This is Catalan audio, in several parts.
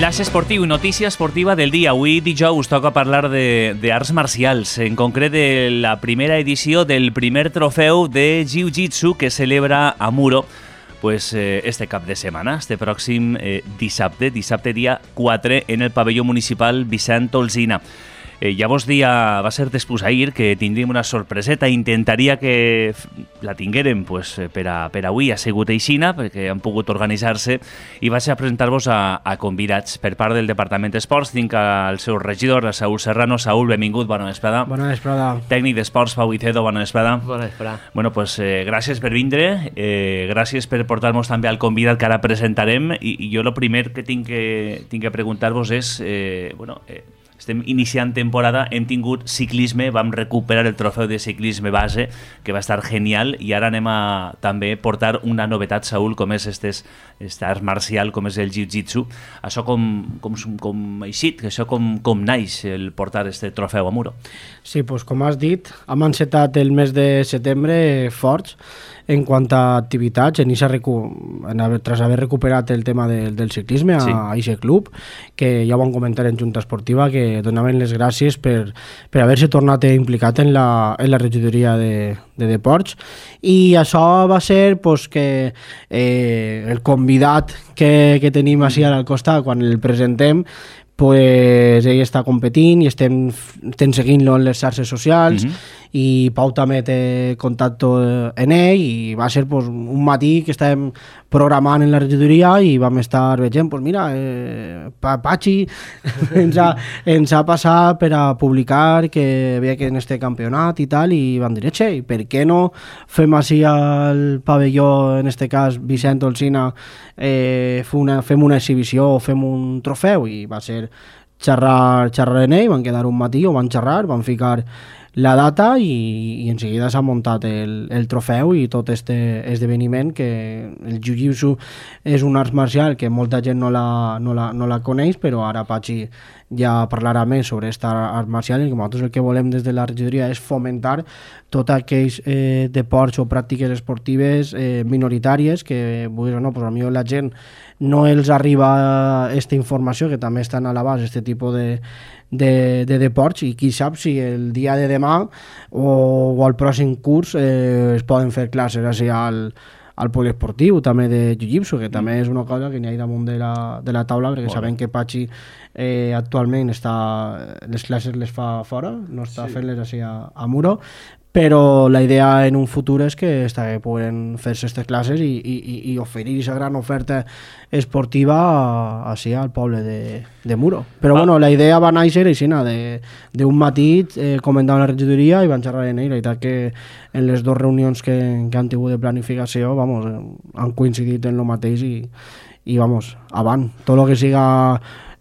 Flash esportiu, notícia esportiva del dia. Avui dijous toca parlar d'arts marcials, en concret de la primera edició del primer trofeu de Jiu-Jitsu que celebra a Muro este cap de setmana, este pròxim dissabte dia 4 en el pavelló municipal Vicent Olsina. Llavors va ser després ahir que tindríem una sorpreseta. Intentaria que la tinguérem per avui. Ha sigut aixina perquè han pogut organitzar-se i vaig a presentar-vos a convidats per part del Departament d'Esports. Tinc el seu regidor, el Saúl Serrano. Saúl, benvingut, bona vesprada. Bona vesprada. Tècnic d'Esports, Pau Vicedo, bona vesprada. Bona vesprada. Bueno, gràcies per vindre, gràcies per portar-nos també al convidat que ara presentarem i jo el primer que tinc que preguntar-vos és, estem iniciant temporada, hem tingut ciclisme, vam recuperar el trofeu de ciclisme base, que va estar genial, i ara anem a també portar una novetat, Saúl, com és esta art marcial, com és el jiu-jitsu. Això com eixit, això com naix el portar este trofeu a Muro? Sí, doncs com has dit, hem encetat el mes de setembre forts en quant a activitats, tras haver recuperat el tema del ciclisme a Aixe Club, que ja ho vam comentar en Junta Esportiva, que donaven les gràcies per haver-se tornat implicat en la regidoria de Deports, i això va ser que el convidat que tenim així al costat, quan el presentem, ell està competint i estem seguint-lo en les xarxes socials, i Pau també té contacte en ell, i va ser un matí que estàvem programant en la regidoria i vam estar veient, mira, Pachi ens ha passat per a publicar que veia que en este campionat i tal, i vam dir, per què no fem així al pavelló, en este cas Vicent Olsina, fem una exhibició o fem un trofeu? I va ser xerrar en ell, van quedar un matí, van xerrar, van ficar la data i en seguida s'ha muntat el trofeu i tot este esdeveniment, que el jiu-jitsu és un art marcial que molta gent no la coneix, però ara Pachi ja parlarà més sobre aquesta art marcial, i que nosaltres el que volem des de la regidoria és fomentar tots aquells deports o pràctiques esportives minoritàries que, potser la gent no els arriba aquesta informació, que també estan a l'abast aquest tipus de deports, i qui sap si el dia de demà o al pròxim curs es poden fer classes així al poliesportiu també de jiu-jitsu, que també és una cosa que n'hi ha damunt de la taula, perquè sabem que Pachi actualment les classes les fa fora, no està fent-les així a Muro, però la idea en un futur és que puguen fer-se aquestes classes i oferir aquesta gran oferta esportiva així al poble de Muro. Però la idea va néixer així, d'un matí comentant la regidoria, i van xerrar en ell. La veritat que en les dues reunions que han tingut de planificació han coincidit en el mateix, i avant. Tot el que siga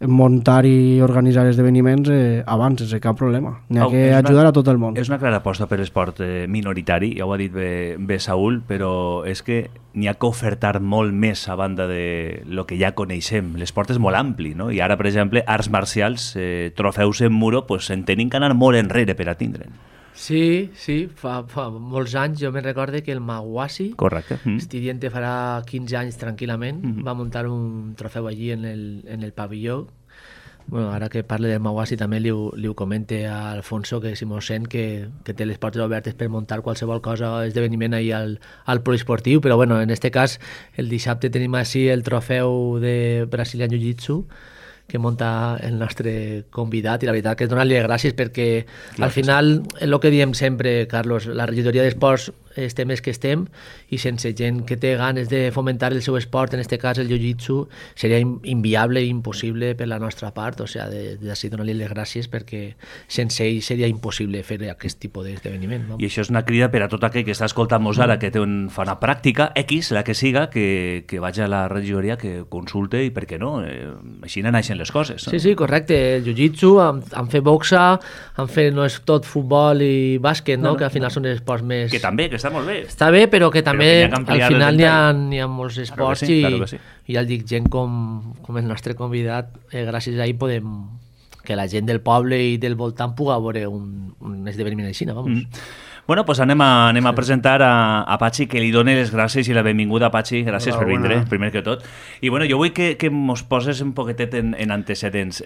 muntar i organitzar esdeveniments abans, sense cap problema. N'hi ha que ajudar a tot el món. És una clara aposta per l'esport minoritari, ja ho ha dit bé Saúl, però és que n'hi ha que ofertar molt més a banda de lo que ja coneixem. L'esport és molt ampli, no? I ara, per exemple, arts marcials, trofeus en Muro, en tenim que anar molt enrere per a tindre'n. Sí, fa molts anys. Jo me'n recorde que el Maguasi, Estudiante farà 15 anys tranquil·lament, va muntar un trofeu allí en el pavelló. Ara que parle del Maguasi també li ho comente a Alfonso, que si mos sent, que té les portes obertes per muntar qualsevol cosa, esdeveniment ahí al poliesportiu, però en este cas el dissabte tenim així el trofeu de Brazilian Jiu-Jitsu que munta el nostre convidat, i la veritat que és donar-li gràcies, perquè al final, el que diem sempre, Carlos, la regidoria d'esports estem que estem, i sense gent que té ganes de fomentar el seu esport, en aquest cas el jiu-jitsu, seria inviable i impossible per la nostra part. O sigui, d'ací donar-li les gràcies, perquè sense ell seria impossible fer aquest tipus d'esdeveniment. I això és una crida per a tot aquell que està escoltant-nos ara, que fa una pràctica X, la que siga, que vagi a la regidoria, que consulte, i per què no? Així naixen les coses. Sí, correcte. El jiu-jitsu, han fet boxa, no és tot futbol i bàsquet, que al final són esports més... Que també, que està molt bé. Està bé, però que també al final n'hi ha molts esports, i ja el dic, gent com el nostre convidat, gràcies a ell podem que la gent del poble i del voltant puga veure un esdeveniment així, vamos. Bueno, pues anem a presentar a Patxi, que li doni les gràcies i la benvinguda, Patxi. Gràcies per vindre, primer que tot. I bueno, jo vull que mos poses un poquetet en antecedents.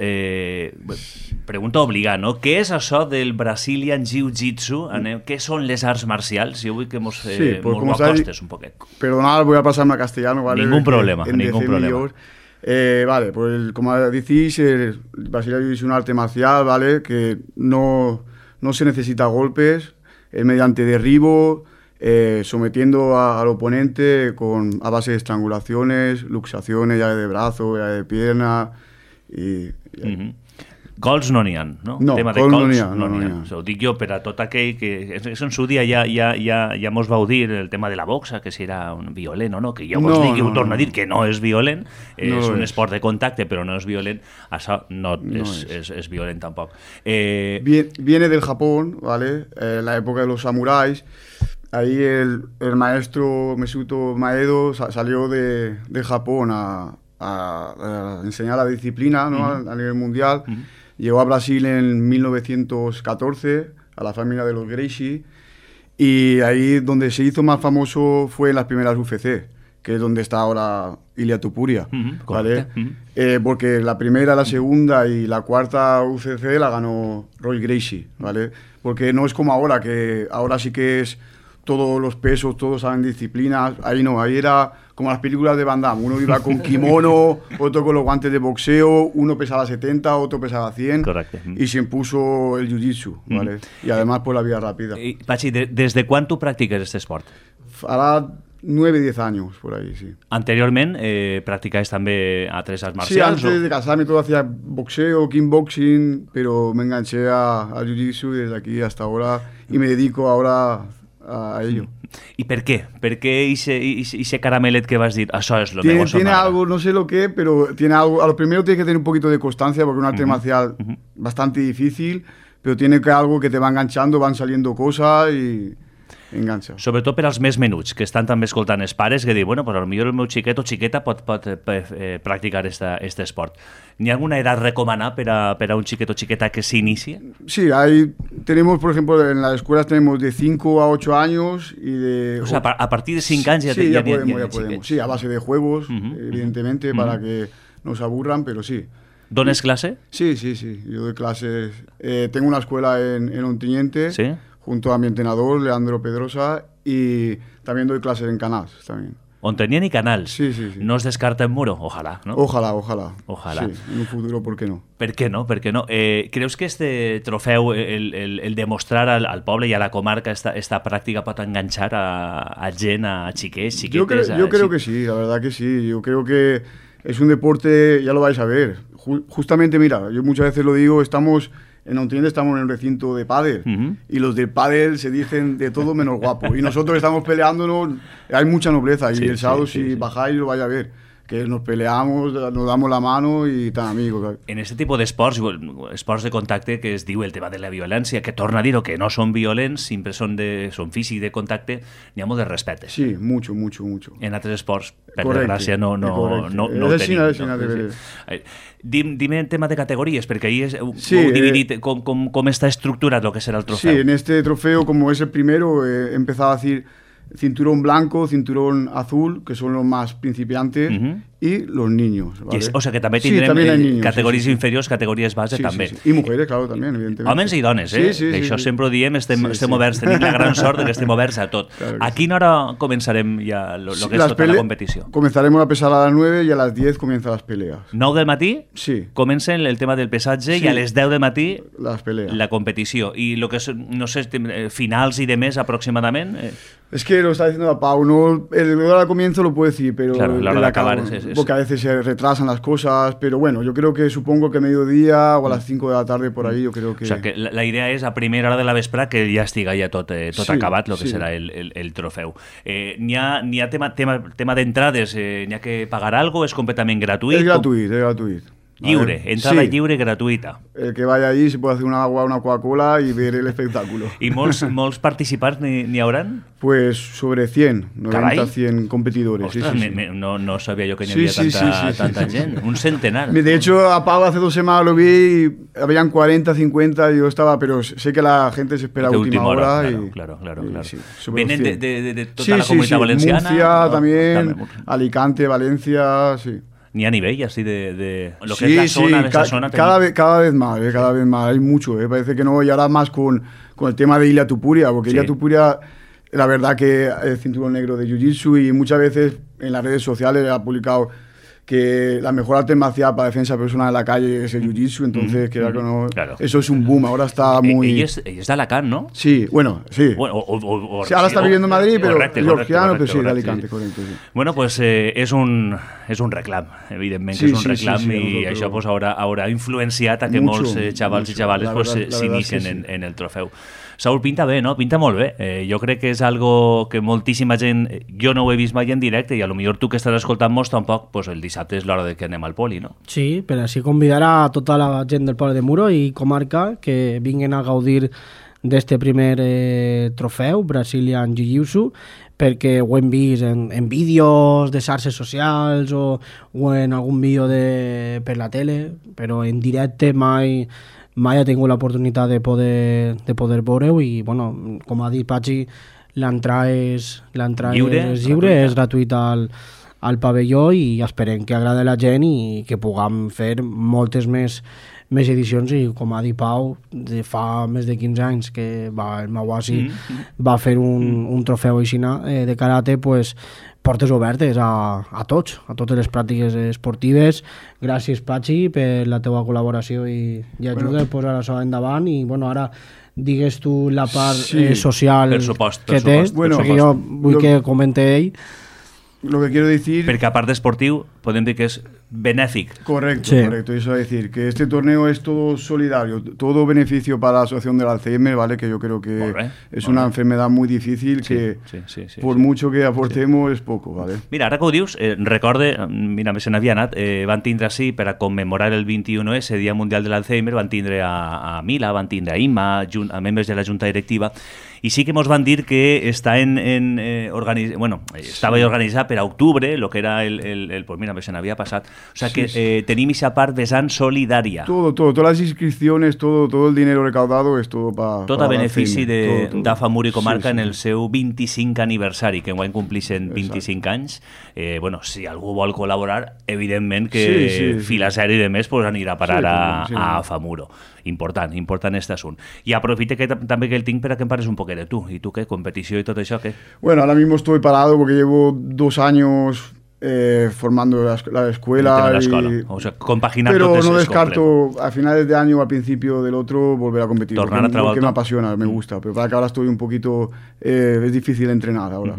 Pregunta obligada, no? Què és això del Brazilian Jiu-Jitsu? Què són les arts marcials? Jo vull que mos lo acostes un poquet. Perdonad, voy a pasarme a castellano, ¿vale? Ningún problema, ningún problema. Vale, pues como decís, el Brazilian Jiu-Jitsu es un arte marcial, ¿vale? Que no se necesita golpes, es mediante derribo, sometiendo al oponente a base de estrangulaciones, luxaciones, llave de brazo, llave de pierna y... Cols no n'hi ha, no? No, tema cols no n'hi ha. Ho dic jo per a tot aquell que... En su dia ja mos vau dir el tema de la boxa, que si era violent o no, que jo vos dic i ho torno a dir que no és violent, és un esport de contacte però no és violent, això no és violent tampoc. Viene del Japón, ¿vale? La época de los samuráis. Ahí el maestro Mesutō Maeda salió de Japón a enseñar la disciplina, ¿no? A nivel mundial. Llegó a Brasil en 1914, a la familia de los Gracie, y ahí donde se hizo más famoso fue en las primeras UFC, que es donde está ahora Ilia Topuria, ¿vale? Porque la primera, la segunda y la cuarta UFC la ganó Roy Gracie, ¿vale? Porque no es como ahora, que ahora sí que es todos los pesos, todos saben disciplinas. Ahí no, ahí era como las películas de Van Damme. Uno iba con kimono, otro con los guantes de boxeo, uno pesaba 70, otro pesaba 100. Correcte. Y se impuso el jiu-jitsu, ¿vale? Y además por la vía rápida. Patxi, ¿desde cuándo practiques este esport? Hará 9-10 años, por ahí, sí. Anteriorment, practicabas també altres arts Sí, marcials? antes de casarme todo hacía boxeo, kickboxing, pero me enganché a jiu-jitsu desde aquí hasta ahora y me dedico ahora a ello. ¿Y por qué? ¿Por qué ese caramelet que vas a decir? Eso es lo mejor. Tiene algo, no sé lo que, pero tiene algo. A lo primero tiene que tener un poquito de constancia, porque es un arte marcial bastante difícil, pero tiene que algo que te va enganchando, van saliendo cosas y engancha. Sobretot per als més menuts, que estan també escoltant els pares, que diuen, bueno, pues potser el meu xiquet o xiqueta pot practicar este esport. ¿N'hi ha alguna edat recomanada per a un xiquet o xiqueta que s'inicie? Sí, tenemos, por ejemplo, en las escuelas tenemos de 5 a 8 años y de... O sea, a partir de 5 anys sí, ya podemos. Sí, a base de juegos, evidentemente, para que no se aburran, pero sí. ¿Dones clase? Sí. Yo doy clases. Tengo una escuela en Ontinyente, ¿sí? Junto a mi entrenador, Leandro Pedrosa, y también doy clases en Canals, también. Ontinyent y Canals. Sí. No es descarta en Muro, ojalá, ¿no? Ojalá. Sí, en un futuro, ¿por qué no? ¿Por qué no? ¿Creus que este trofeu, el demostrar al poble y a la comarca esta práctica pot enganchar a gent, a xiquets, xiquetes? Yo creo que sí, la verdad que sí. Yo creo que es un deporte, ya lo vais a ver. Justamente, mira, yo muchas veces lo digo, en Ontinyent estamos en un recinto de pádel y los del pádel se dicen de todo menos guapo y nosotros estamos peleándonos, hay mucha nobleza y el sábado si bajáis lo vais a ver, que nos peleamos, nos damos la mano i tan amigos. En este tipo d'esports, esports de contacte, que es diu el tema de la violència, que torna a dir-ho, que no són violents, sempre són físics de contacte, n'hi ha molt de respecte. Sí, mucho. En altres esports, per desgràcia, no tenim. Dime el tema de categories, perquè ahí heu dividit com està estructurat el que serà el trofeu. Sí, en este trofeo, como es el primero, he empezado a decir cinturón blanco, cinturón azul, que son los más principiantes, y los niños, ¿vale? O sea que també tindrem categories inferiors, categories base també. Sí. I mujeres, claro, també, evidentemente. Homes i dones, Sí, això sempre ho diem, estem oberts, tenim la gran sort de que estem oberts a tot. Claro a quina hora començarem ja lo que és tota la competició? Comenzaremos a pesar a las 9 y a las 10 comienzan las peleas. 9 del matí? Sí. Comença el tema del pesatge i a les 10 del matí las peleas. La competició. I lo que és, no sé, finals i demés aproximadament? Es que lo está diciendo la Pau, no, el hora de comienzo lo puedo decir, pero claro, la hora de acabar porque a veces se retrasan las cosas, pero bueno, yo creo que supongo que mediodía o a las 5 de la tarde por ahí, yo creo que... O sea, que la idea és a primera hora de la vespre que ja estiga ja tot acabat, el que serà el trofeu. N'hi ha tema d'entrades, n'hi ha que pagar algo, és completament gratuït? És gratuït. Lliure, entrada lliure gratuïta. El que vaya allí se puede hacer una agua, una Coca-Cola y ver el espectáculo. ¿Y molts participants n'hi hauran? Pues sobre 100, 90, 100 competidores. Ostras, sí. No sabía yo que n'hi havia tanta gent. Un centenar. De hecho, a Pau hace 2 semanas lo vi y habían 40, 50 y yo estaba, pero sé que la gente se espera a última hora. Claro. Sí, ¿Vienen de toda la comunidad valenciana? Murcia también, Alicante, Valencia, sí. Ni a nivel así de lo que es la zona, de esa zona. Cada vez más, hay mucho, parece que no, y ahora más con el tema de Ilia Tupuria, porque Ilia Tupuria, la verdad que es cinturón negro de Jiu-Jitsu y muchas veces en las redes sociales ha publicado que la mejor arte marcial para defensa personal en la calle es el Jiu-Jitsu, entonces claro. Eso es un boom, ahora está muy... Ella es de Alacant, ¿no? Sí, bueno, sí. Bueno, sí, ahora está viviendo en Madrid, pero es georgiano, pero sí, de Alicante, correcto. Sí. Bueno, pues és un reclam, evidentment que és un reclam i això pues, haurà influenciat a que molts xavals i xavales pues, s'inicien en el trofeu. Saúl, pinta bé, no? Pinta molt bé. Jo crec que és algo que moltíssima gent... Jo no ho he vist mai en directe i a lo millor tu que estàs escoltant-nos tampoc, pues el dissabte és l'hora de que anem al poli, no? Sí, per així convidar a tota la gent del poble de Muro i comarca que vinguin a gaudir d'este primer trofeu, Brazilian Jiu-Jitsu, perquè ho hem vist en vídeos de xarxes socials o en algun vídeo per la tele, però en directe mai he tingut l'oportunitat de poder veure-ho i, bueno, com ha dit Patxi, l'entrada és lliure, és gratuïta al pavelló i esperem que agradi a la gent i que puguem fer moltes més edicions i, com ha dit Pau, fa més de 15 anys que el Mawasi va fer un trofeu així de karate, pues, portes obertes a totes les pràctiques esportives. Gràcies, Patxi, per la teva col·laboració i ajuda a posar això endavant i, bueno, ara digues tu la part social que té, perquè jo vull que comente ell. Lo que quiero decir... Perquè a part d'esportiu, podem dir que és benéfic. Correcto. Eso es decir, que este torneo es todo solidario, todo beneficio para la asociación del Alzheimer, ¿vale? Que yo creo que es una enfermedad muy difícil que por mucho que aportemos es poco, ¿vale? Mira, ara que ho dius, recorde, mira, se n'havia anat, van tindre així per a commemorar el 21S, Dia Mundial de l'Alzheimer, van tindre a Mila, van tindre a Imma, a membres de la Junta Directiva, i sí que mos van dir que està estava organitzat per a octubre, lo que era pues mira, se n'havia passat. O sea que tenim esa part vessant solidària. Todas las inscripciones, todo el dinero recaudado es todo para... Tot a benefici d'AFA Muro i Comarca en el seu 25 aniversari, que enguany complixen 25 anys. Bueno, si algú vol col·laborar, evidentment que Filaseri i de més pues, anirà a parar a AFA Muro. Important este assunt. I aprofite que també que el tinc per a que em pares un poquet de tu. ¿Y tú qué? ¿Competición y todo eso qué? Bueno, ahora mismo estoy parado porque llevo 2 años formando la escuela. O sea, compaginar. Pero no descarto a finales de año o al principio del otro volver a competir. Tornar a trabajar. Porque me apasiona, me gusta. Pero para que ahora estoy un poquito... es difícil entrenar ahora.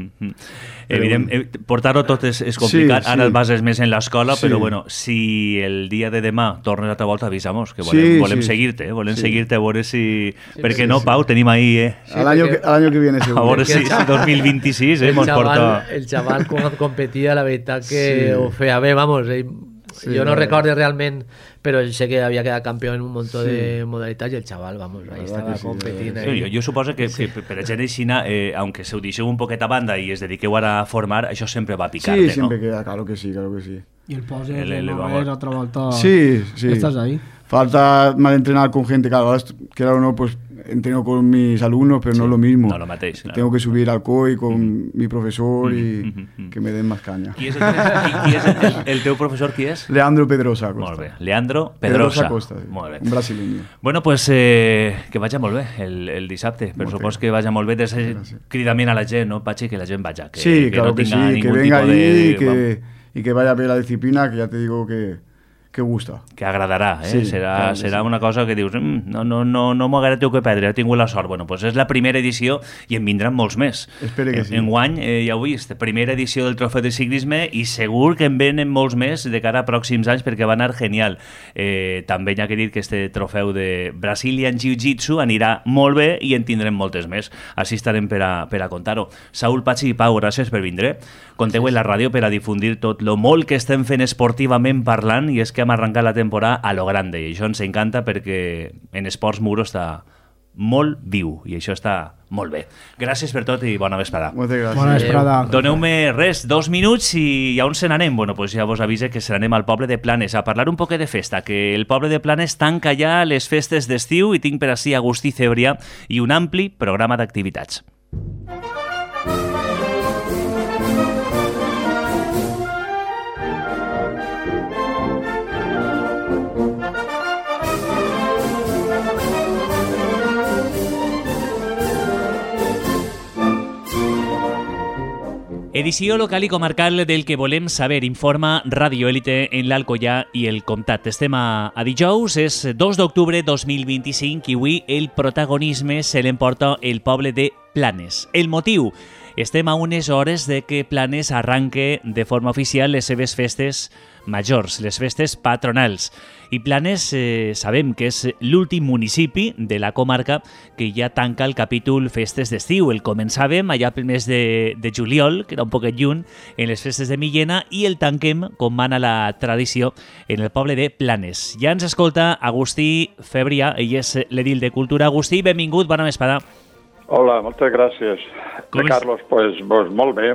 Portar-ho tot és complicat. Ara el bases més en l'escola, però bueno, si el dia de demà tornes a altra volta, avisamos, que volem seguir-te, volem seguir-te a veure si... Perquè no, Pau, tenim ahí... Al año que viene, seguro. A veure si 2026 el chaval quan competia, la veritat que ho feia bé, vamos, jo no recordo realment, però sé que havia quedat campió en un munt de modalitats i el xaval, vamos, ahí estava competint. Jo suposo que per a gent aixina, aunque se ho deixeu un poquet a banda i es dediqueu ara a formar, això sempre va picar-te, ¿no? Sí, siempre queda, claro que sí. Y el pose de otra vuelta. Sí. Estás ahí. Falta más entrenar con gente, claro, o no, pues entreno con mis alumnos, pero no es lo mismo. No lo matéis, claro. Tengo que subir al COI con mi profesor y que me den más caña. Qui és el teu professor, qui és? Leandro Pedrosa Costa. Molt bé, Leandro Pedrosa Costa, sí. Molt bé. Un brasileño. Bueno, pues que vagi molt bé el dissabte, per supos que vagi molt bé cridament a la gent, no, Patxi, que la gent vaja, que claro no tenga que venga ahí y que vaya a ver la disciplina, que ya te digo que gusta. Que agradarà, serà una cosa que dius no m'ho agrada que perdre, he tingut la sort. Bueno, pues és la primera edició i en vindran molts més. Espero que sí. Enguany, ja ho he vist, primera edició del Trofeu de Ciclisme i segur que en venen molts més de cara a pròxims anys perquè va anar genial. També hi ha que dir que este trofeu de Brazilian Jiu-Jitsu anirà molt bé i en tindrem moltes més. Així estarem per a contar-ho. Saúl, Patxi i Pau, gràcies per vindre. Conteu en la ràdio per a difundir tot lo molt que estem fent esportivament parlant i és que podríem arrencar la temporada a lo grande, i això ens encanta perquè en esports Muro està molt viu, i això està molt bé. Gràcies per tot i bona vesprada. Moltes gràcies. Bona vesprada. Doneu-me res, 2 minuts i a on se n'anem? Bueno, pues ja vos avise que se n'anem al poble de Planes a parlar un poquet de festa, que el poble de Planes tanca ja les festes d'estiu i tinc per ací Agustí Cebrià i un ampli programa d'activitats. Edició local i comarcal del que volem saber, informa Radio Élite en l'Alcoià i el Comtat. Estem a dijous, és 2 d'octubre 2025 i avui el protagonisme se l'emporta el poble de Planes. El motiu? Estem a unes hores de que Planes arranque de forma oficial les seves festes majors, les festes patronals. I Planes sabem que és l'últim municipi de la comarca que ja tanca el capítol festes d'estiu. El començàvem allà pel mes de juliol, que era un poquet lluny, en les festes de Millena, i el tanquem, com mana la tradició, en el poble de Planes. Ja ens escolta Agustí Cebrià, ell és l'edil de Cultura. Agustí, benvingut, bona vesprada. Hola, moltes gràcies. Carlos, pues molt bé,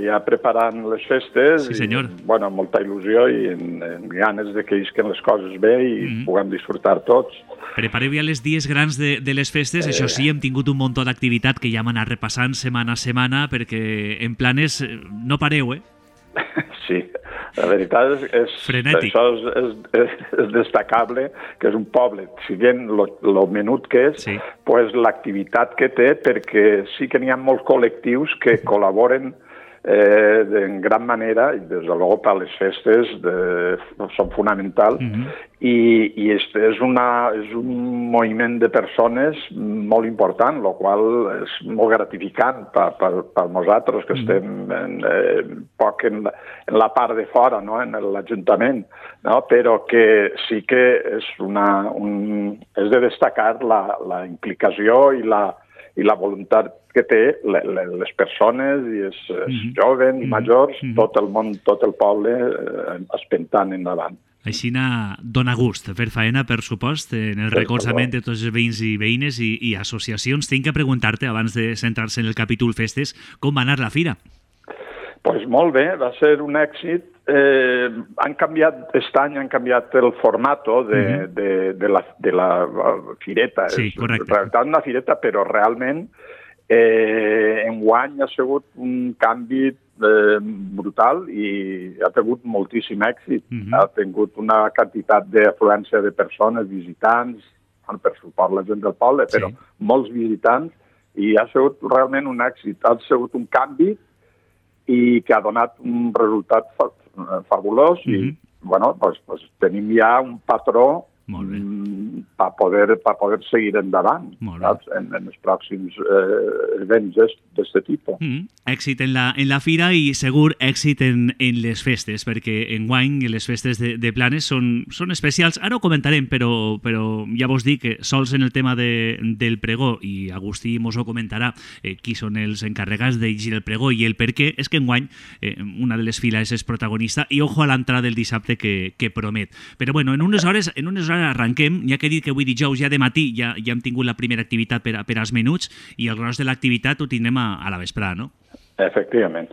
ja preparant les festes. Sí, senyor. I, bueno, molta il·lusió i en ganes de que isquen les coses bé i puguem disfrutar tots. Prepareu ja els dies grans de les festes, això sí, hem tingut un munt d'activitat que ja hem anat repassant setmana a setmana perquè en Planes no pareu, Sí, la veritat és frenètic. Això és destacable, que és un poble, si bien lo menut que és, sí, pues l'activitat que té, perquè sí que n'hi ha molts col·lectius que col·laboren en gran manera, i des de luego per les festes són fonamentals, i és un moviment de persones molt important, el qual és molt gratificant per nosaltres, que estem poc en la part de fora, no? En l'Ajuntament, no? Però que sí que és de destacar la implicació i la voluntat que té les persones i els joves i majors, tot el món, tot el poble espentant endavant. Aixina dona gust fer faena, per supost, en el recolzament de tots els veïns i veïnes i associacions. Tinc que preguntar-te, abans de centrar-se en el capítol festes, com va anar la fira? Pues molt bé, va ser un èxit. Aquest any han canviat el formato de la fireta. Sí, correcte. En realitat una fireta, però realment enguany ha sigut un canvi brutal i ha tingut moltíssim èxit. Ha tingut una quantitat d'afluència de persones, visitants, per suport la gent del poble, però molts visitants, i ha sigut realment un èxit. Ha sigut un canvi i que ha donat un resultat fabulós i bueno, pues tenim ja un patró per poder seguir endavant en els pròxims events d'aquest tipus. Èxit en la fira i segur èxit en les festes, perquè enguany les festes de Planes són especials. Ara ho comentarem, però ja vos dic que sols en el tema del pregó, i Agustí mos ho comentarà, qui són els encarregats de llegir el pregó i el per què, és que enguany una de les files és protagonista i ojo a l'entrada del dissabte que promet. Però bueno, en unes hores arranquem, ja que he dit que avui dijous ja de matí ja hem tingut la primera activitat per als menuts i el gros de l'activitat ho tindrem a la vesprada, no? Efectivament.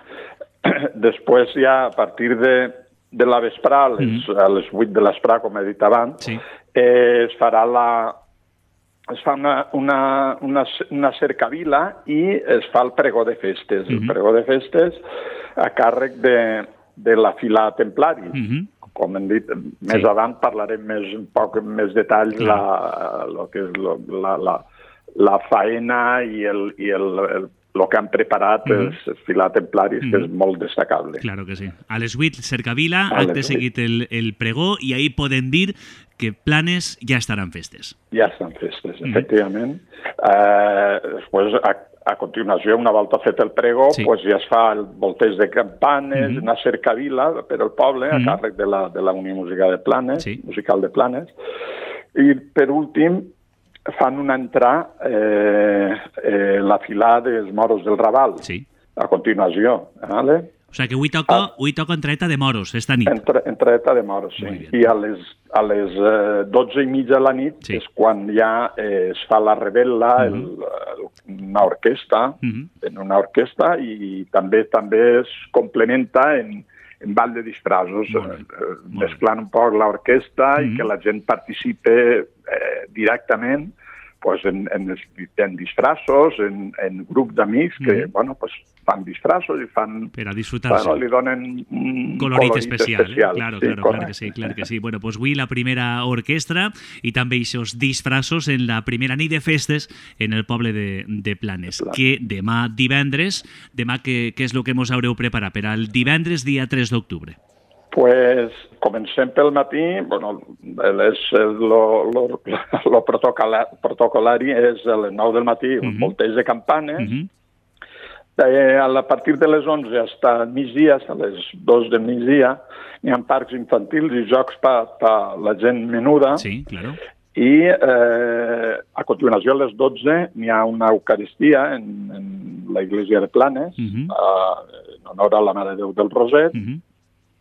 Després ja a partir de la vesprada, a les 8 de l'esprada, com he dit abans, es fa una cercavila i es fa el pregó de festes. El pregó de festes a càrrec de la fila templari. Com hem dit, més avant parlarem un poc més detalls la faena i el que han preparat els filats templaris, que és molt destacable. Claro que sí. A les 8, cercavila, acte seguit el pregó, i ahir podem dir que Planes ja estaran festes. Ja estan festes, efectivament. Després, a continuació, una volta fet el pregó, ja es fa el volteig de campanes, una cercavila per al poble, a càrrec de la Unió Musical de Planes. I, per últim, fan una entrada la filada dels moros del Raval, a continuació. O sigui que avui toca entraeta de moros, esta nit. Entraeta de moros, sí. I a les 12:30 de la nit és quan ja es fa la revetla, una orquestra, en una orquestra, i també es complementa en ball de disfraços, mesclant un poc l'orquestra i que la gent participe directament en disfraços, en grup d'amics que fan disfraços i fan... Per a disfrutar-se. Li donen un colorit especial. Claro que sí. Bueno, pues avui la primera orquestra i també aquests disfraços en la primera nit de festes en el poble de Planes. Que demà divendres, què és el que mos haureu preparat per al divendres dia 3 d'octubre? Pues comencem pel matí, lo protocolari és a les 9 del matí, un volteig de campanes. A partir de les 11 fins al migdia, a les 2 del migdia, hi ha parcs infantils i jocs per la gent menuda. Sí, claro. I a continuació, a les 12, hi ha una eucaristia en la iglesia de Planes, en honor a la Mare de Déu del Roset.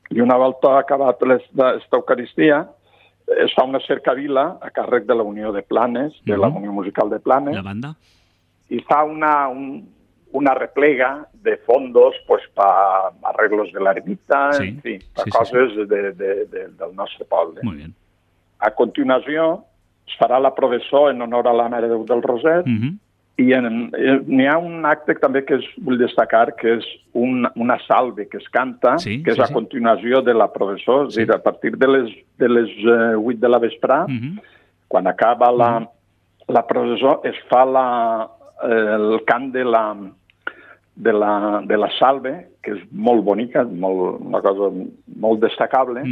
I una volta acabat aquesta eucaristia, es fa una cercavila a càrrec de la Unió de Planes, de la Unió Musical de Planes. La banda. I fa una replega de fondos para arreglos de la ermita, en fi, per coses del nostre poble. Muy bien. A continuació, es farà la processó en honor a la Mare de Déu del Roset, i n'hi ha un acte també que vull destacar, que és una salve que es canta, que és a continuació de la processó, és a dir, a partir de les 8 de la vesprà, quan acaba la processó, es fa el cant de la salve, que és molt bonica, una cosa molt destacable,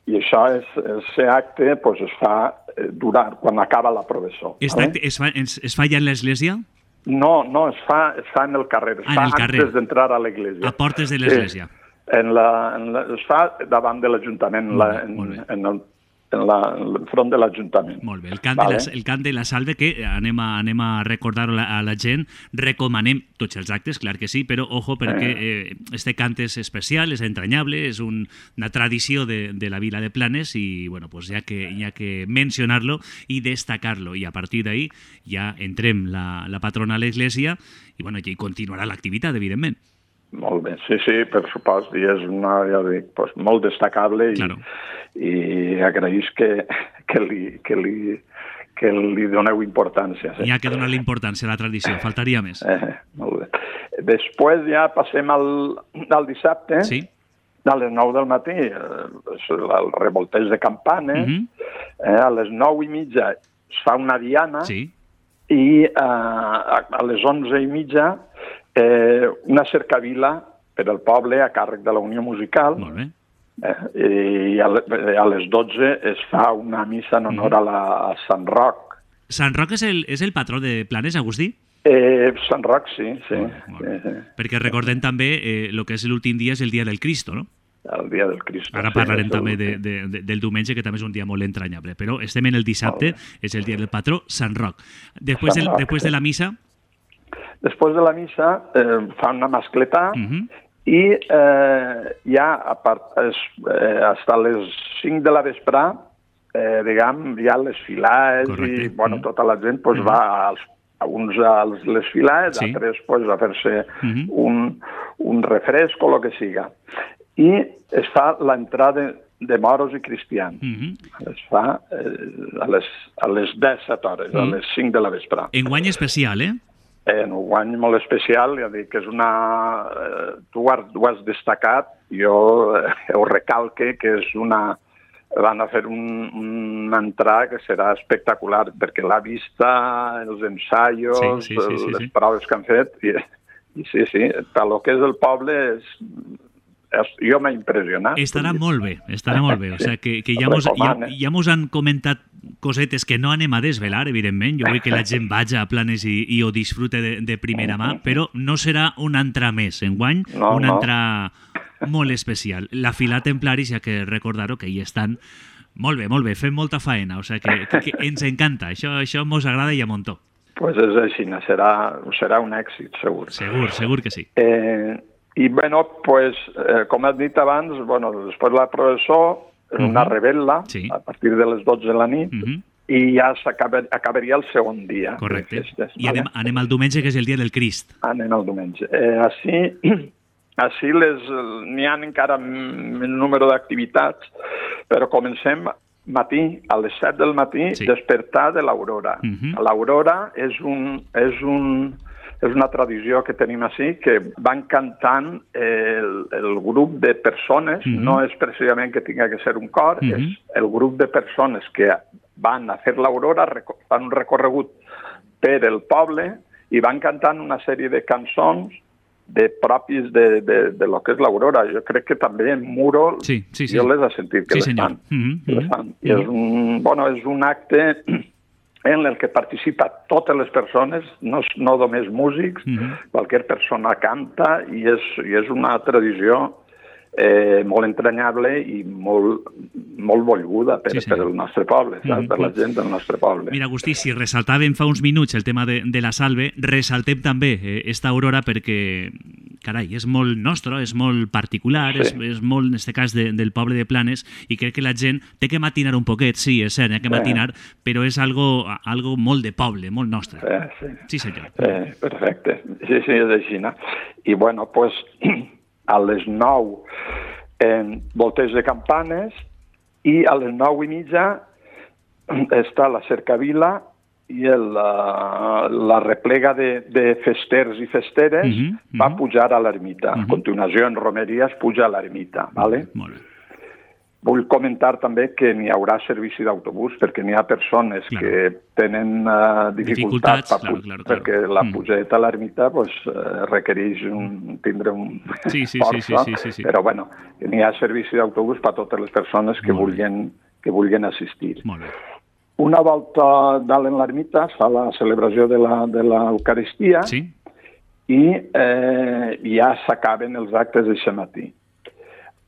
i això, aquest acte, es fa quan acaba la processó. Aquest acte es fa ja en l'església? No, es fa en el carrer. Es fa antes d'entrar a l'església. A portes de l'església. Es fa davant de l'Ajuntament, en el front de l'Ajuntament. Molt bé. El cant de la salve, que anem a recordar a la gent, recomanem tots els actes, clar que sí, però ojo, perquè este cant és especial, és entranyable, és una tradició de la vila de Planes i, bueno, pues hi ha que mencionar-lo i destacar-lo, i a partir d'ahí ja entrem la patrona a l'església i, bueno, ja hi continuarà l'activitat, evidentment. Molt bé, sí, per supost, i és molt destacable i agraïs que li doneu importància. Hi ha que donar-li importància a la tradició, faltaria més. Molt bé. Després ja passem al dissabte, a les 9 del matí, el revolteig de campanes, a les 9:30 es fa una diana i a les 11:30 una cercavila per al poble a càrrec de la Unió Musical. Molt bé. I a les 12 es fa una missa en honor a Sant Roc. Sant Roc és el patró de Planes, Agustí? Sant Roc, sí. Perquè recordem també el que és l'últim dia és el dia del Cristo, no? El dia del Cristo. Ara parlarem també del diumenge, que també és un dia molt entranyable, però estem en el dissabte, és el dia del patró Sant Roc. Després de la missa... Després de la missa fa una mascletà i ja fins a les 5 de la vesprà, diguem, ja les filades i tota la gent va uns a les filades, altres a fer-se un refresc o el que siga. I es fa l'entrada de moros i cristians. Es fa a les 17 hores, a les 5 de la vesprà. Enguany especial, En un guany molt especial, ja dic que és tu ho has destacat, jo ho recalque, que és van a fer una entrada que serà espectacular, perquè la vista, els ensaios, les proves que han fet, i sí, per lo que és el poble, jo m'ha impressionat. Estarà molt bé. O sigui, que ja mos han comentat cosetes que no anem a desvelar, evidentment. Jo vull que la gent vagi a Planes i ho disfrute de primera mà, però no serà un entrà més enguany, un entrà molt especial. La fila templaris, ja que recordar-ho, que hi estan molt bé, fent molta faena, o sigui que ens encanta, això mos agrada i a muntó. Pues és així, serà un èxit, segur. Segur que sí. I, bueno, pues, com has dit abans, bueno, després la processó, una rebel·la, a partir de les 12 de la nit, i ja acabaria el segon dia. Correcte. I anem al diumenge, que és el dia del Crist. Anem al diumenge. Així n'hi ha encara més número d'activitats, però comencem matí, a les 7 del matí, despertar de l'aurora. L'aurora és una tradició que tenim així, que van cantant el grup de persones, no és precisament que tingui que ser un cor, és el grup de persones que van a fer l'aurora, fan un recorregut per el poble i van cantant una sèrie de cançons pròpies de lo que és l'aurora. Jo crec que també en Muro jo les he sentit que les fan. I és un acte en el que participa totes les persones, no només músics, qualsevol persona canta, i és una tradició molt entranyable i molt volguda per el nostre poble, per la gent del nostre poble. Mira, Agustí, si ressaltàvem fa uns minuts el tema de la salve, ressaltem també esta aurora perquè, carai, és molt nostre, és molt particular, és molt, en aquest cas, del poble de Planes, i crec que la gent té que matinar un poquet, sí, és cert, hi ha que matinar, però és algo molt de poble, molt nostre. Sí, senyor. Perfecte. Sí, és així, no? I, bueno, doncs, a les 9 volteig de campanes, i a les 9:30 està la cercavila i la replega de festers i festeres va pujar a l'ermita. A continuació, en romeria, es puja a l'ermita. Molt bé. Vull comentar també que n'hi haurà servici d'autobús, perquè n'hi ha persones que tenen dificultats perquè la pujada a l'ermita requereix tindre un força, però bueno, n'hi ha servici d'autobús per a totes les persones que vulguin assistir. Una volta dalt en l'ermita es fa la celebració de l'Eucaristia i ja s'acaben els actes d'aquest matí.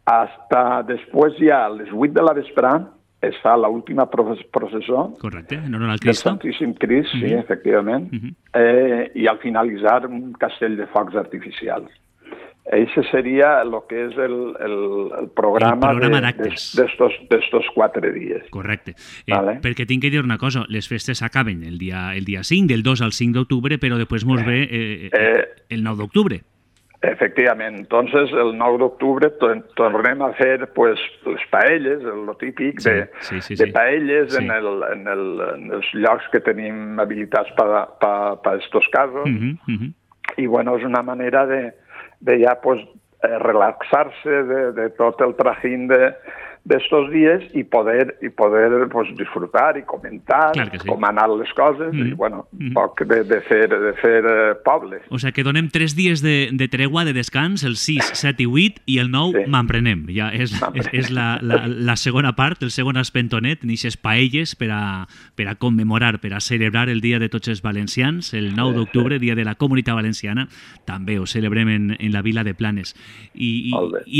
Hasta després, ja a les 8 de la vesprà, es fa l'última processó. Correcte, en honor al Cristo. Del Santíssim Crist, sí, efectivament. I al finalitzar, un castell de focs artificials. Això seria el que és el programa d'estos 4 dies. Correcte. Perquè tinc que dir una cosa, les festes acaben el dia 5, del 2 al 5 d'octubre, però després ens ve el 9 d'octubre. Efectivament. Entonces, el 9 d'octubre tornem a fer les paelles, el típic de paelles en els llocs que tenim habilitats per a aquests casos. I, bueno, és una manera de ja relaxar-se de tot el trajín d'estos dies i poder disfrutar i comentar com han anat les coses i, bueno, un poc de fer poble. O sigui que donem 3 dies de tregua, de descans, el 6, 7 i 8, i el 9 m'emprenem. Ja és la segona part, el segon espentonet, n'ixes paelles per a commemorar, per a celebrar el Dia de Tots els Valencians, el 9 d'octubre, Dia de la Comunitat Valenciana, també ho celebrem en la vila de Planes. I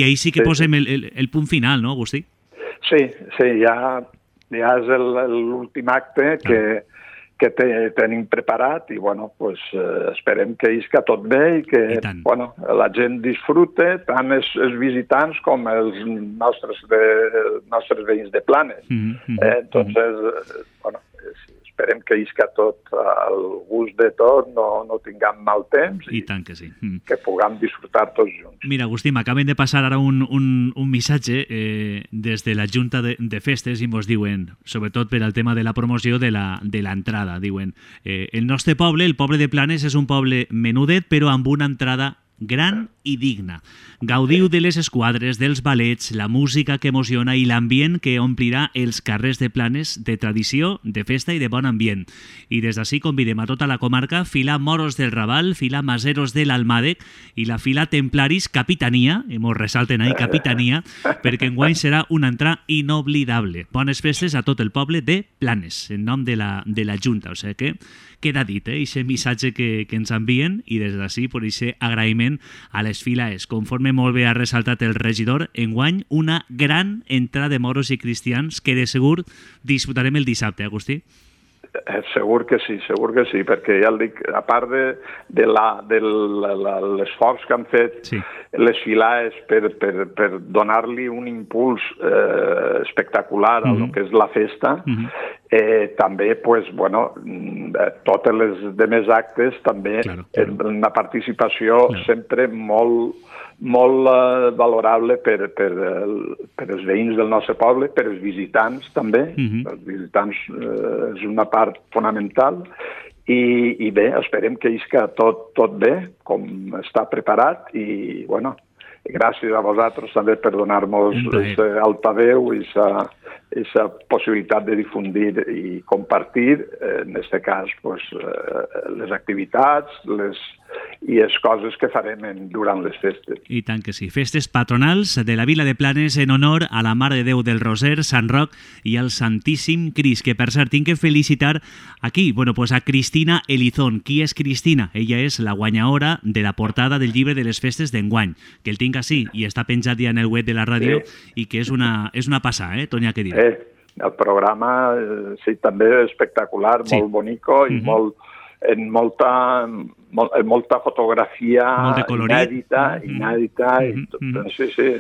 ahí sí que posem el punt final, no, Agustí? Sí, ja és l'últim acte que tenim preparat i, bueno, esperem que isca tot bé i que la gent disfrute, tant els visitants com els nostres veïns de Planes. Entonces, bueno, esperem que isca tot al gust de tot, no tinguem mal temps i tant que sí. Que puguem disfrutar tots junts. Mira, Agustí, m'acaben de passar ara un missatge des de la Junta de Festes i ens diuen, sobretot per al tema de la promoció de l'entrada, diuen el nostre poble, el poble de Planes, és un poble menudet però amb una entrada gran i digna. Gaudiu de les esquadres, dels ballets, la música que emociona i l'ambient que omplirà els carrers de Planes de tradició, de festa i de bon ambient. I des d'ací convidem a tota la comarca, fila Moros del Raval, fila Maseros de l'Almàdec i la fila Templaris Capitania, i mos ressalten ahí Capitania, perquè enguany serà una entrada inoblidable. Bones festes a tot el poble de Planes, en nom de la Junta. O sigui que queda dit, aquest missatge que ens envien i des d'ací, per aquest agraïment a les files. Conforme molt bé ha ressaltat el regidor, enguany una gran entrada de moros i cristians que de segur disfrutarem el dissabte, Agustí. Segur que sí, perquè ja el dic, a part de l'esforç que han fet les filades per donar-li un impuls espectacular a lo que és la festa, també, pues, bueno, totes les demés actes també una participació sempre molt valorable per els veïns del nostre poble, per els visitants també. Els visitants és una part fonamental i bé, esperem que isca tot bé, com està preparat i, bueno, gràcies a vosaltres també per donar-nos altaveu i aquesta possibilitat de difundir i compartir, en aquest cas, les activitats i les coses que farem durant les festes. I tant que sí. Festes patronals de la Vila de Planes en honor a la Mare de Déu del Roser, Sant Roc i al Santíssim Crist, que per cert tinc que felicitar aquí, a Cristina Elizón. Qui és Cristina? Ella és la guanyadora de la portada del llibre de les festes d'enguany, que el tinc així i està penjat ja en el web de la ràdio i que és una passada, Tonya, què dir? El programa, sí, també espectacular, molt bonico i en molta fotografia inèdita i tot. Sí.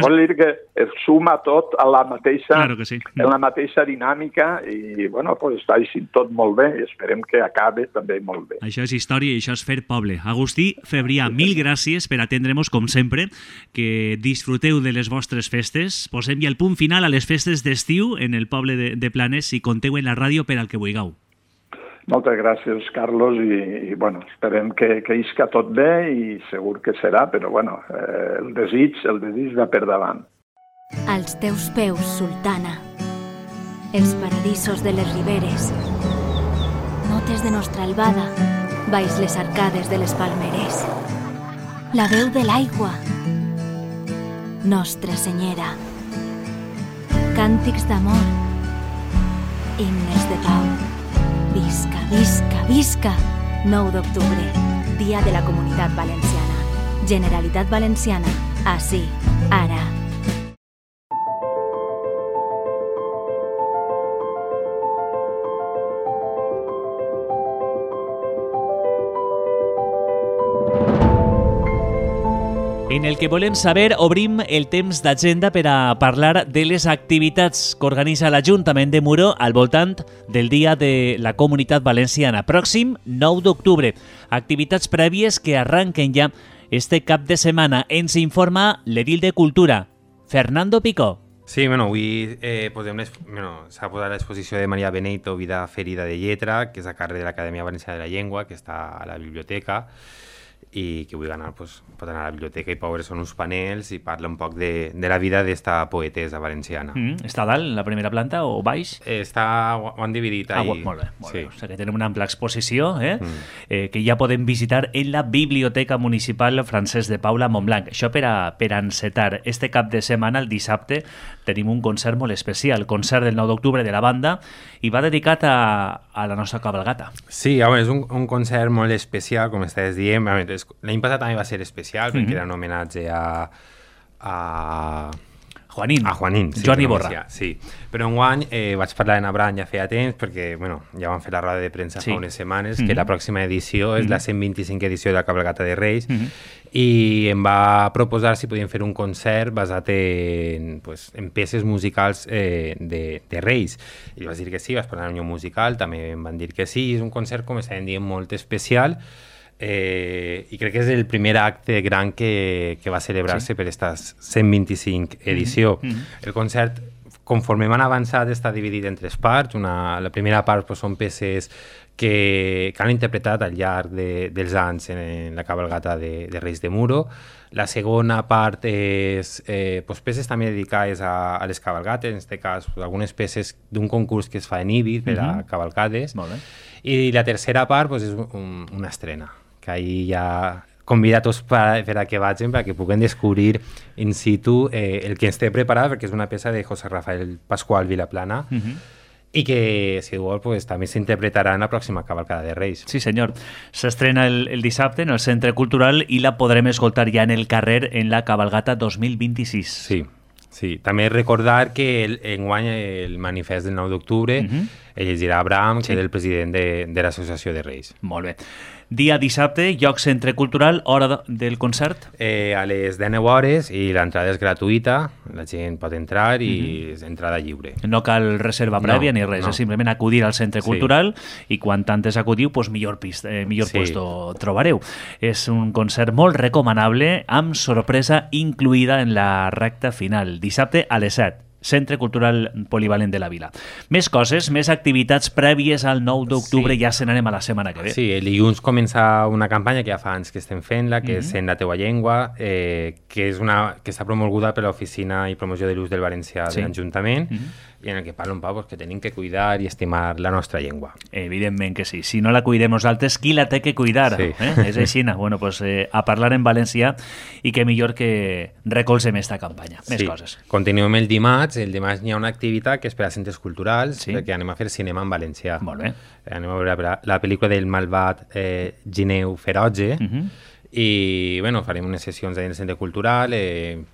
Vol dir que es suma tot a la mateixa dinàmica i, bueno, pues està així tot molt bé i esperem que acabe també molt bé. Això és història i això és fer poble. Agustí Febrià, mil gràcies per atendre'ns com sempre, que disfruteu de les vostres festes. Posem ja el punt final a les festes d'estiu en el poble de Planes i conteu en la ràdio per al que vulgueu. Moltes gràcies, Carlos, i bueno, esperem que isca tot bé i segur que serà, però bueno, el desig va per davant. Als teus peus, sultana, els paradisos de les riberes, notes de nostra albada, baix les arcades de les palmeres, la veu de l'aigua, Nostra Senyera, càntics d'amor, himnes de pau. Visca, visca, visca! 9 d'octubre, Dia de la Comunitat Valenciana. Generalitat Valenciana. Ací, ara. En el que volem saber, obrim el temps d'agenda per a parlar de les activitats que organitza l'Ajuntament de Muro al voltant del Dia de la Comunitat Valenciana, pròxim 9 d'octubre. Activitats prèvies que arranquen ja este cap de setmana. Ens informa l'edil de Cultura, Fernando Picó. Sí, avui s'ha posat l'exposició de Maria Benito, Vida ferida de lletra, que és a càrrec de l'Acadèmia Valenciana de la Llengua, que està a la biblioteca, i que vull anar, pot anar a la biblioteca i veure són uns panels i parla un poc de la vida d'esta poetesa valenciana. Està dalt, en la primera planta o baix? Ho han dividit ahí. Molt bé. O sigui que tenim una ampla exposició que ja podem visitar en la Biblioteca Municipal Francesc de Paula Montblanc. Això per a encetar. Este cap de setmana, el dissabte, tenim un concert molt especial, concert del 9 d'octubre de la banda, i va dedicat a la nostra cabalgata. Sí, és un concert molt especial, com estàs dient. L'any passat també va ser especial perquè era un homenatge a Juanín. A Juanín, sí. Joan Iborra. Sí, però enguany vaig parlar en Abraham ja feia temps perquè ja van fer la roda de premsa fa unes setmanes que la pròxima edició és la 125 edició de la Cabalgata de Reis i em va proposar si podíem fer un concert basat en peces musicals de Reis. I vaig dir que sí, vaig parlar en un musical, també em van dir que sí, és un concert, com estàvem dient, molt especial. I crec que és el primer acte gran que va celebrar-se per aquesta 125 edició. El concert, conforme m'han avançat, està dividit en 3 parts. La primera part són peces que han interpretat al llarg dels anys en la cabalgata de Reis de Muro. La segona part és peces també dedicades a les cabalgates, en aquest cas algunes peces d'un concurs que es fa en Ibi per a cavalcades. I la tercera part és una estrena, que ahir ja convida a tots per a que vagin, perquè puguem descobrir in situ el que ens té preparat, perquè és una peça de José Rafael Pascual Vilaplana, i que, si vol, també s'interpretarà en la pròxima cavalcada de Reis. Sí, senyor. S'estrena el dissabte en el Centre Cultural i la podrem escoltar ja en el carrer en la cabalgata 2026. Sí. Sí, també recordar que enguany el manifest del 9 d'octubre el llegirà Abraham, que és el president de l'Associació de Reis. Molt bé. Dia dissabte, lloc centre cultural, hora del concert? A les 19 hores i l'entrada és gratuïta, la gent pot entrar i és entrada lliure. No cal reserva prèvia ni res, és simplement acudir al centre cultural i quan tantes acudiu, doncs millor puesto trobareu. És un concert molt recomanable, amb sorpresa incluïda en la recta final. Dissabte a les 7. Centre Cultural Polivalent de la Vila. Més coses, més activitats prèvies al 9 d'octubre, ja se n'anem a la setmana que ve. Sí, el dilluns comença una campanya que ja fa anys que estem fent-la, que és En la teua llengua, que està promulguda per l'Oficina i Promoció de l'Ús del Valencià de l'Ajuntament, i en el que parla un poc que tenim que cuidar i estimar la nostra llengua. Evidentment que sí. Si no la cuidem nosaltres, qui la té que cuidar? Sí. És així. Bueno, pues, a parlar en valencià i que millor que recolzem esta campanya. Més coses. Continuem el dimarts. El dimarts hi ha una activitat que és per a centres culturals, perquè anem a fer cinema en valencià. Molt bé. Anem a veure la pel·lícula del malvat Gineu Ferotge, i bueno, farem unes sessions en el centre cultural.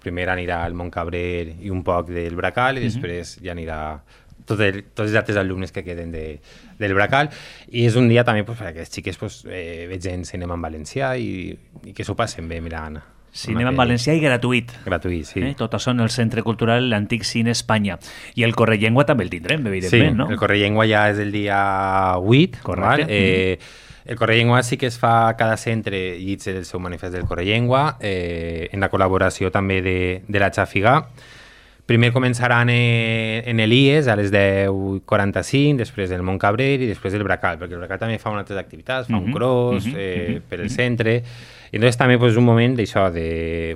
Primer anirà al Montcabrer i un poc del Bracal, i després ja anirà tots els altres alumnes que queden del Bracal, i és un dia també perquè les xiques vegin cinema en valencià i que s'ho passen bé mirant. Cinema en valencià i gratuït. Gratuït, sí. Tot això en el Centre Cultural l'Antic Cine Espanya. I el Correllengua també el tindrem, evidentment, no? Sí, el Correllengua ja és el dia 8. Correcte. El Correllengua sí que es fa cada centre i és el seu manifest del Correllengua, en la col·laboració també de la Xàfiga. Primer començaran en l'IES a les 10:45, després el Montcabrer i després el Bracal, perquè el Bracal també fa unes altres activitats, fa un cross per el centre. I entonces també és un moment d'això,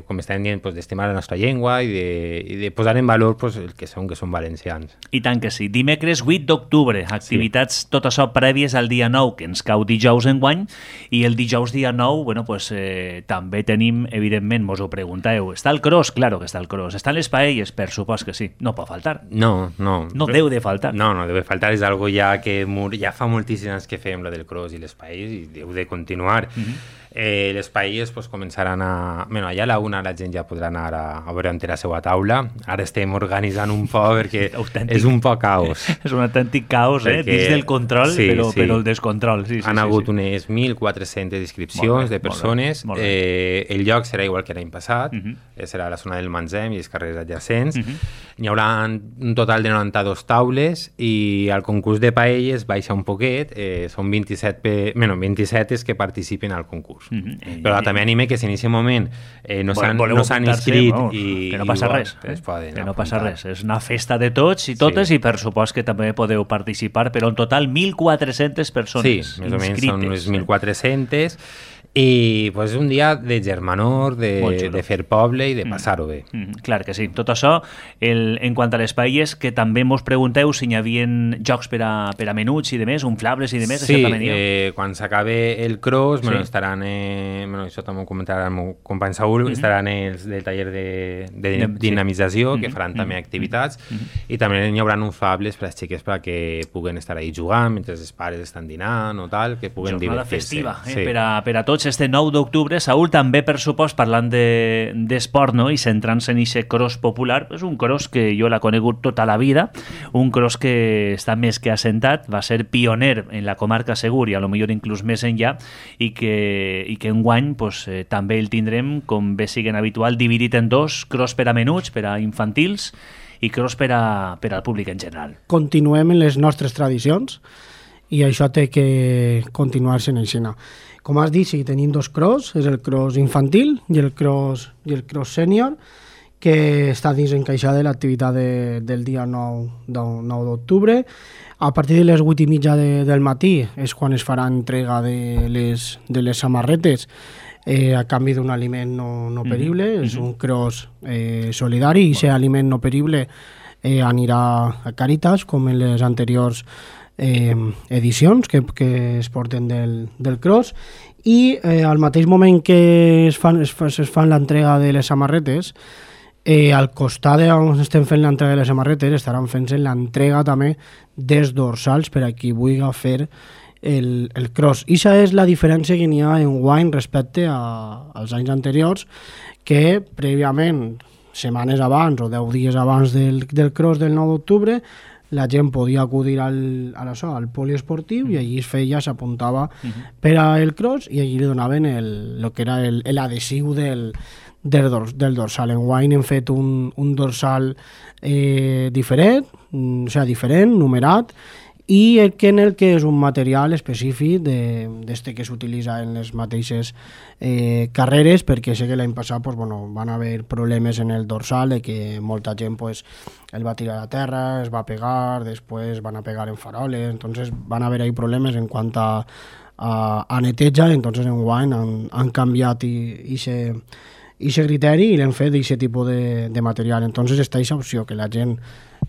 com estàvem dient, d'estimar la nostra llengua i de posar en valor el que són valencians. I tant que sí. Dimecres 8 d'octubre, activitats tot això prèvies al dia 9, que ens cau dijous enguany, i el dijous dia 9, bueno, també tenim, evidentment, mos ho pregunteu, està el cross? Claro que està el cross. Estan les paelles? Per supost que sí. No pot faltar. No. No deu de faltar. No deu de faltar. És algo ja que ja fa moltíssims anys que fem lo del cross i les paelles i deu de continuar. Les paelles començaran a... Bueno, allà a la una la gent ja podrà anar a veure on té la seva taula. Ara estem organitzant un poc perquè és un poc caos. És un autèntic caos, dins del control, però el descontrol. Han hagut unes 1.400 inscripcions de persones. El lloc serà igual que l'any passat. Serà a la zona del Manzem i els carrers adjacents. N'hi haurà un total de 92 taules i el concurs de paelles baixa un poquet. Són 27 que participen al concurs. Però també anime que si en aquest moment no s'han inscrit que no passa res, que no passa res, és una festa de tots i totes i per supost que també podeu participar, però en total 1.400 persones més o menys són unes 1.400 i és un dia de germanor, de fer poble i de passar-ho bé. Clar que sí. Tot això, en quant a les paelles, que també mos pregunteu si hi havia jocs per a menuts i demés, inflables i demés. Sí, quan s'acabe el cross, estaran, això també ho comentarà el meu company Saúl, estaran els del taller de dinamització, que faran també activitats, i també hi haurà inflables per a les xiques perquè puguen estar ahí jugant mentre els pares estan dinant o tal, que puguen divertir-se. Jornada festiva, per a tots. Este 9 d'octubre, Saúl, també per supost parlant d'esport, no? I centrant-se en aquest cross popular, és un cross que jo l'he conegut tota la vida, un cross que està més que assentat, va ser pioner en la comarca Segur i a lo millor inclús més enllà, i que enguany també el tindrem, com bé siguen habitual, dividit en dos, cross per a menuts, per a infantils, i cross per al públic en general. Continuem en les nostres tradicions i això té que continuar-se en aixina. Com has dit, sí, tenim dos cross, és el cross infantil i el cross sènior, que està dins encaixada de l'activitat del dia 9 d'octubre. A partir de les 8:30 del matí és quan es farà entrega de les samarretes a canvi d'un aliment no perible. És un cross solidari i aquest aliment no perible anirà a Càritas, com en les anteriors edicions que es porten del cross, i al mateix moment que es fan l'entrega de les samarretes, al costat on estem fent l'entrega de les samarretes estaran fent-se l'entrega també dels dorsals per a qui vulgui fer el cross. I això és la diferència que n'hi ha enguany respecte als anys anteriors, que prèviament setmanes abans o 10 dies abans del cross del 9 d'octubre, la gent podia acudir al poliesportiu i allí es feia, s'apuntava per al cross i allí li donaven el que era l'adhesiu del dorsal. Enguany hem fet un dorsal diferent, numerat, i en el que és un material específic d'este que s'utilitza en les mateixes carreres, perquè sé que l'any passat van haver problemes en el dorsal, que molta gent el va tirar a terra, es va pegar, després van a pegar en faroles, entonces van haver ahí problemes en quant a neteja, entonces enguany han canviat ixe criteri i l'hem fet d'aquest tipus de material. Entonces està aquesta opció que la gent,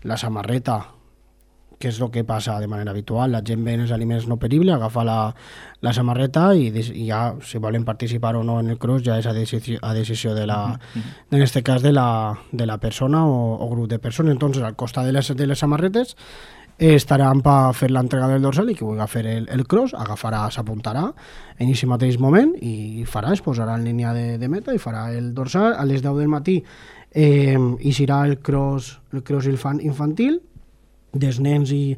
la samarreta, que és el que passa de manera habitual, la gent ve en els aliments no peribles, agafa la samarreta i ja, si volen participar o no en el cross, ja és a decisió en este cas de la persona o grup de persones. Entonces, al costat de les samarretes estaran per fer l'entrega del dorsal i qui vulgui fer el cross agafarà, s'apuntarà en aquest mateix moment i es posarà en línia de meta i farà el dorsal a les 10 del matí i serà el cross infantil dels nens i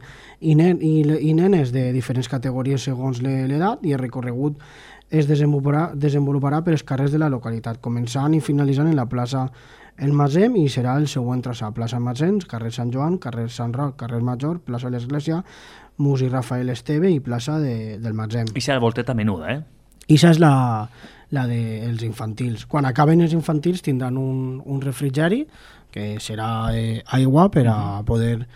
nenes de diferents categories segons l'edat, i el recorregut es desenvoluparà per els carrers de la localitat, començant i finalitzant en la plaça El Masem, i serà el següent traçat: plaça Masens, carrer Sant Joan, carrer Sant Roc, carrer Major, plaça de l'Església, Museu Rafael Esteve i plaça del Masem. Ixa volteta menuda, Ixa és la dels infantils. Quan acaben els infantils tindran un refrigeri, que serà aigua per a poder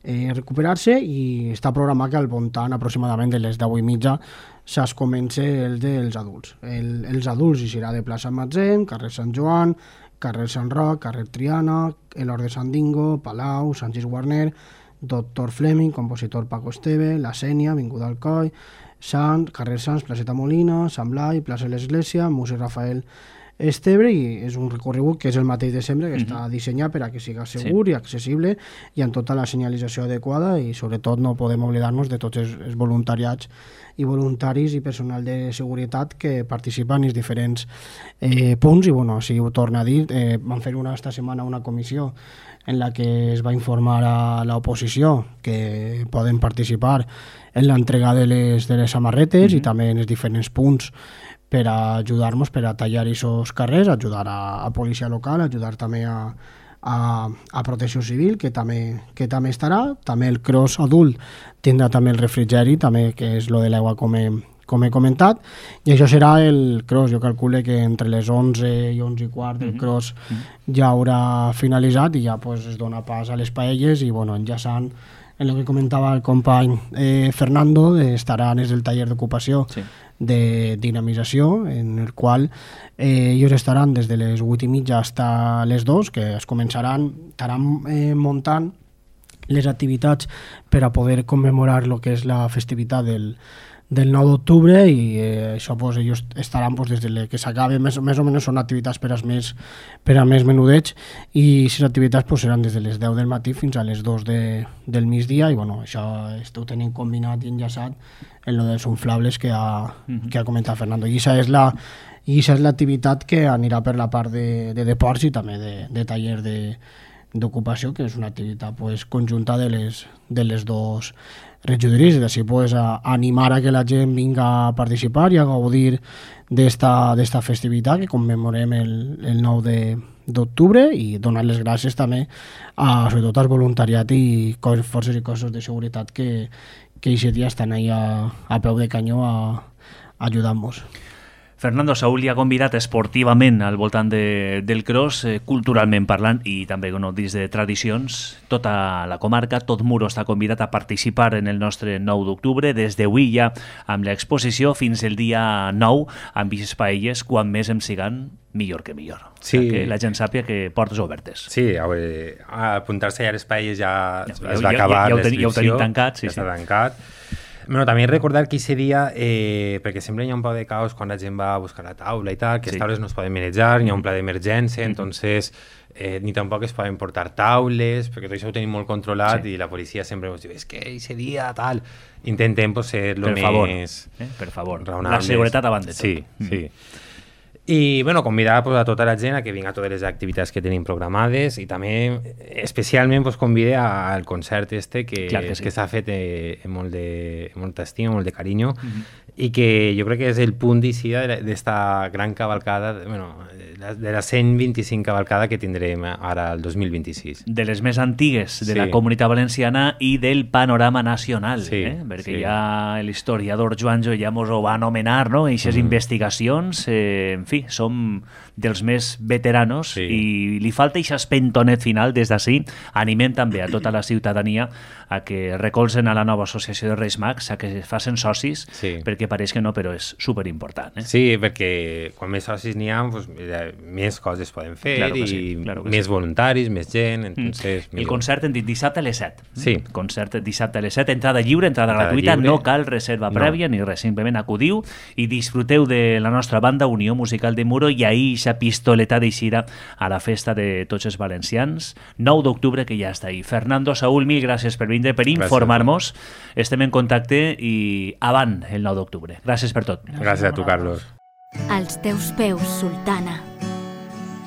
recuperar-se, i està programat que al voltant aproximadament de les 10:30 es comença el dels adults. Els adults hi serà de plaça Matzem, carrer Sant Joan, carrer Sant Roc, carrer Triana, l'Hort de Sant Dingo, Palau, Sant Gis Guarner, Doctor Fleming, compositor Paco Esteve, La Sènia, Avinguda Alcoi, carrer Sants, placeta Molina, Sant Blai, plaça l'Església, Museu Rafael Esteve, i és un recorregut que és el mateix de sempre, que està dissenyat per a que siga segur i accessible i amb tota la senyalització adequada, i sobretot no podem oblidar-nos de tots els voluntariats i voluntaris i personal de seguretat que participen en els diferents punts. I així ho torno a dir, vam fer esta setmana una comissió en la que es va informar a l'oposició que poden participar en l'entrega de les samarretes i també en els diferents punts per a ajudar-nos, per a tallar aquests carrers, ajudar a policia local, ajudar també a protecció civil, que també estarà. També el cross adult tindrà també el refrigeri, també, que és lo de l'aigua, com he comentat, i això serà el cross. Jo calculo que entre les 11 i 11 i quart el cross ja haurà finalitzat i ja es dona pas a les paelles i enllaçant en el que comentava el company Fernando, estaran des del taller d'ocupació de dinamització, en el qual ells estaran des de les 8:30 fins les 2, que estaran muntant les activitats per a poder commemorar el que és la festivitat del 9 d'octubre, i això ells estaran des de que s'acabe, més o menys són activitats per a més menudets, i aquestes activitats seran des de les 10 del matí fins a les 2 del migdia, i això ho tenim combinat i enllaçat en lo dels inflables que ha comentat Fernando, i aquesta és l'activitat que anirà per la part de deports i també de taller d'ocupació, que és una activitat conjunta de les dos regidories, i així animar a que la gent vinga a participar i a gaudir d'esta festivitat que commemorem el 9 d'octubre, i donar les gràcies també sobretot al voluntariat i forces i cossos de seguretat que aquest dia estan ahí a peu de canyó ajudant-nos. Fernando, Saúl li ha convidat esportivament al voltant del cross, culturalment parlant, i també dins de tradicions. Tota la comarca, tot Muro està convidat a participar en el nostre 9 d'octubre, des d'avui ja amb l'exposició fins el dia 9, amb aquestes paelles, quan més em siguen, millor que millor. Sí. Que la gent sàpia que portes obertes. Sí, apuntar-se a les paelles ja es va acabar l'inscripció. Ja ho tenim tancat. Ja està tancat. Bueno, també recordar que aquest dia, perquè sempre hi ha un poc de caos quan la gent va a buscar la taula i tal, que les taules no es poden manejar, hi ha un pla d'emergència, entonces ni tampoc es poden portar taules, perquè tot això ho tenim molt controlat i la policia sempre ens diu, és que aquest dia tal... Intentem ser el més per favor, la seguretat abans de tot. Sí. I bueno, convidar pues, a tota la gent a que vinga a totes les activitats que tenim programades i també especialment pues, convide al concert que s'ha fet amb molta estima, molt de carinyo, i que jo crec que és el punt d'eixida d'esta gran cavalcada, de la 125 cavalcada que tindrem ara el 2026. De les més antigues de la Comunitat Valenciana i del panorama nacional, perquè ja l'historiador Joanjo ja mos ho va anomenar, no? Eixes investigacions, en fi, som dels més veteranos i li falta aquest espentonet final des d'ací. Animem també a tota la ciutadania a que recolzen a la nova associació de Reis Mags, a que facin socis, perquè pareix que no, però és superimportant. Sí, perquè quan més socis n'hi ha, pues, més coses poden fer més voluntaris, més gent. Entonces, el concert hem dit dissabte a les 7. Sí. Concert dissabte a les 7, entrada lliure, entrada gratuïta, no cal reserva prèvia ni res, simplement acudiu i disfruteu de la nostra banda Unió Musical de Muro i ahir aquesta pistoleta d'eixida a la festa de tots els valencians, 9 d'octubre, que ja està ahí. Fernando, Saúl, mil gràcies per vindre, per informar-nos. Estem en contacte i avant el 9 d'octubre. Gràcies per tot. Gràcies a tu, Carlos. Als teus peus, sultana,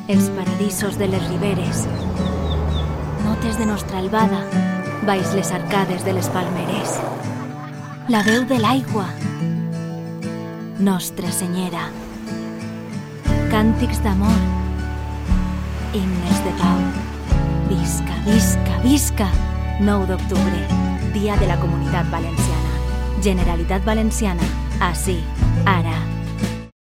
els paradisos de les riberes, notes de nostra albada, baix les arcades de les palmeres, la veu de l'aigua, Nostra Senyera, càntics d'amor, himnes de pau. Visca, visca, visca! 9 d'octubre, Dia de la Comunitat Valenciana. Generalitat Valenciana, ací, ara.